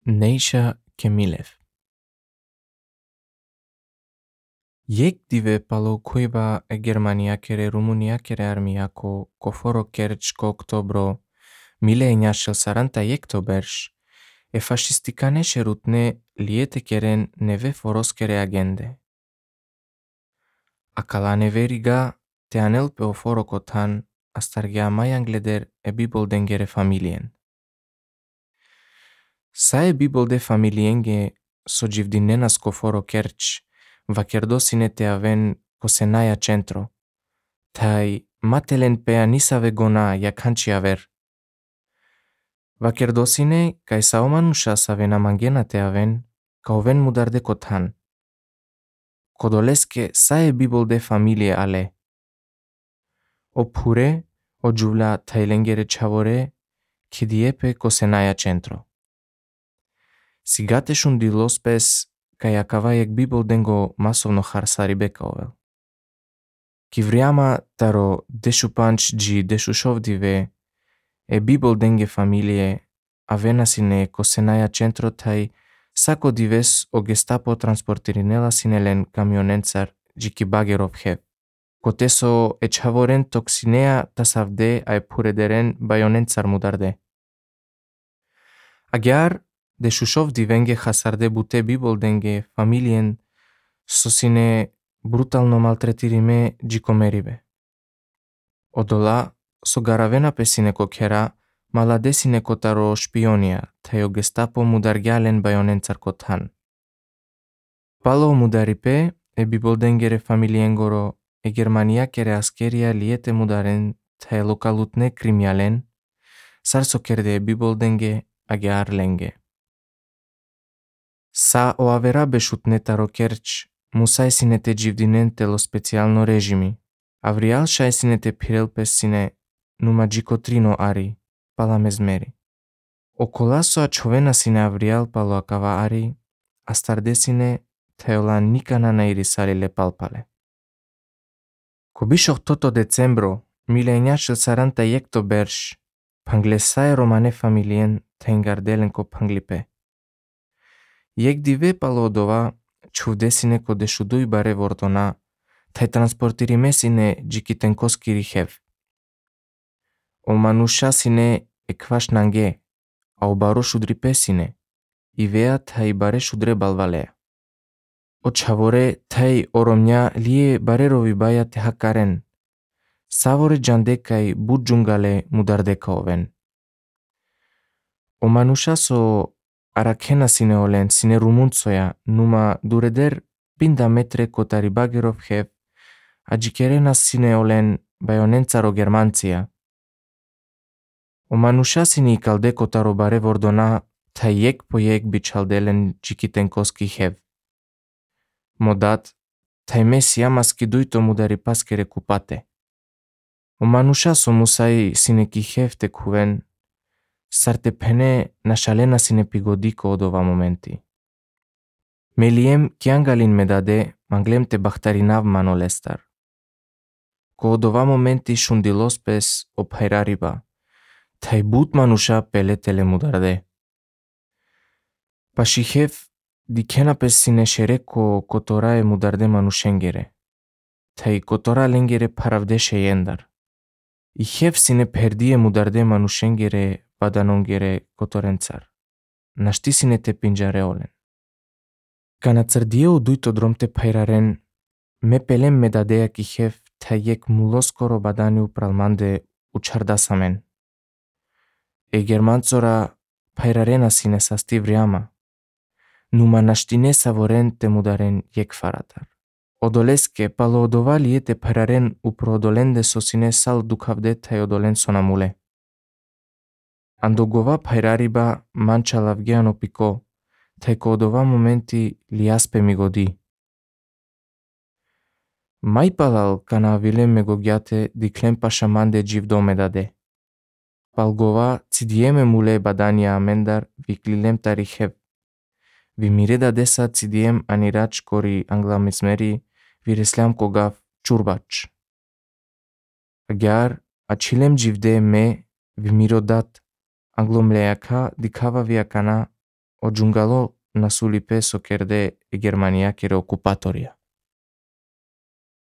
Neisha Kemilev. Եկ դիվե պալո քույբա է Գերմանիա կերե Ռումունիա կերե արմիակո կոֆորո կերճկո օկտոբրո 1940 եկտոբերշ e fascisticane șerutne liete keren neve foros kere agende. Acala neveriga te anel pe o foro cotan astarghea mai angleder e bibol dengere familien. Sa e bibol de familienge so givdinenas coforo kerch vakerdosine te aven cosenaia centro. Tai matelen pe anisa vegona yakanchi aver. Vakerdosine kai saumanusha savena mangena te aven ka oven mudar de cotan. Codoleske sa e bibol de familie ale. Oppure o giula tailengere chavore chidiepe cosenaia centro. Sigate šundilos pes kai akavajek bibol dengo masovno harsari bekaovel. Kivriama taro deshupanch gi deshushovdive e bibol denge familie avenasine cosenaia centro tai sako dives o gestapo transportirinela sinelen camionențar gi kibagerov hev. Coteso e chavoren toxinea tasavde ai purederen baionențar mudarde. Agyar de Shushov divenge hasarde bute bibol denge familien sosine brutalno maltretirime gicomeribe. Odola so garavena pesine cochera maladesine cotaro špionia teo gestapo mudargialen baionențar cotan. Palo mudaripe e bibol dengere familiengoro e Germania kere askeria liete mudaren te localutne crimialen sar sokerde e bibol denge agyar lenge. Sa o avera bešutne taro kerč, musai sine te givdinente lo specialno režimi. Avrial šai sine te pirel pesine numa gicotrino ari, pala mezmeri. O colaso a chovena sine avrial palo acava ari, astardesine teola nicana nairisari le palpale. Cobișoh toto decembro, 1940 ectoberș, panglesai romane familien te îngardelenco panglipe. Jek dive palodova čuvdesine ko dešudui bare vortona, tai transportirimesine gikitenkoski rihev. O manushasine e kvaš nange, a o baro šudripesine, ivea tai bare šudre balvalea. O čavore tai oromnia lie barerovi baia te hakaren, savore jandekai budjungale mudardeka oven. O manushaso Arakena sine olen sine rumunțoia numa dureder pinda metre cotaribagerov hev, agikerena sine olen baionențaro germanția. O manușa sine calde cotarobare vordona ta iec po iec bicaldelen gikitenkoski hev. Modat, ta mesia maskiduito mudaripaskere cupate. O manușa so musai sine ki hev te cuven, sarte pene nashalena sine pigodiko odova momenti. Meliem kiangalin medade manglem te bahtarinav manolestar. Ko odova momenti shundilos pes o pairariba, tai but manusha peletele mudarde. Pashihev dikena pes sine shereko kotorae mudarde manushengere, tai kotora lengere paravde sheyendar. Ihev sine perdie mudarde manushengere Padanongere cotorențar. Naștisine te pinjare olen. Cana țărdieu duito drom te pairaren, me pelem medadea kihev te iec muloskoro badaniu pralmande uçardasamen. E germanțora pairarena sine sastivriama. Numa naștine savoren te mudaren iec faratar. Odoleske palo odova liete pairaren uprodolende sosine sal ducavde te odolen sonamule. Andogova pairariba mancha lavgiano pico, tai codova momenti liaspe migodi. Mai palal cana avilem megogiate diclem pașamande givdomedade. Palgova țidieme mule badania amendar viclilem tarihev. Vimireda desa țidiem aniraci cori anglamesmeri viresleam cogav ciurbac. Agyar acilem givde me vimirodat Anglomleaka dikava viakana o giungalo na suli peso kerde e Germania kere occupatoria.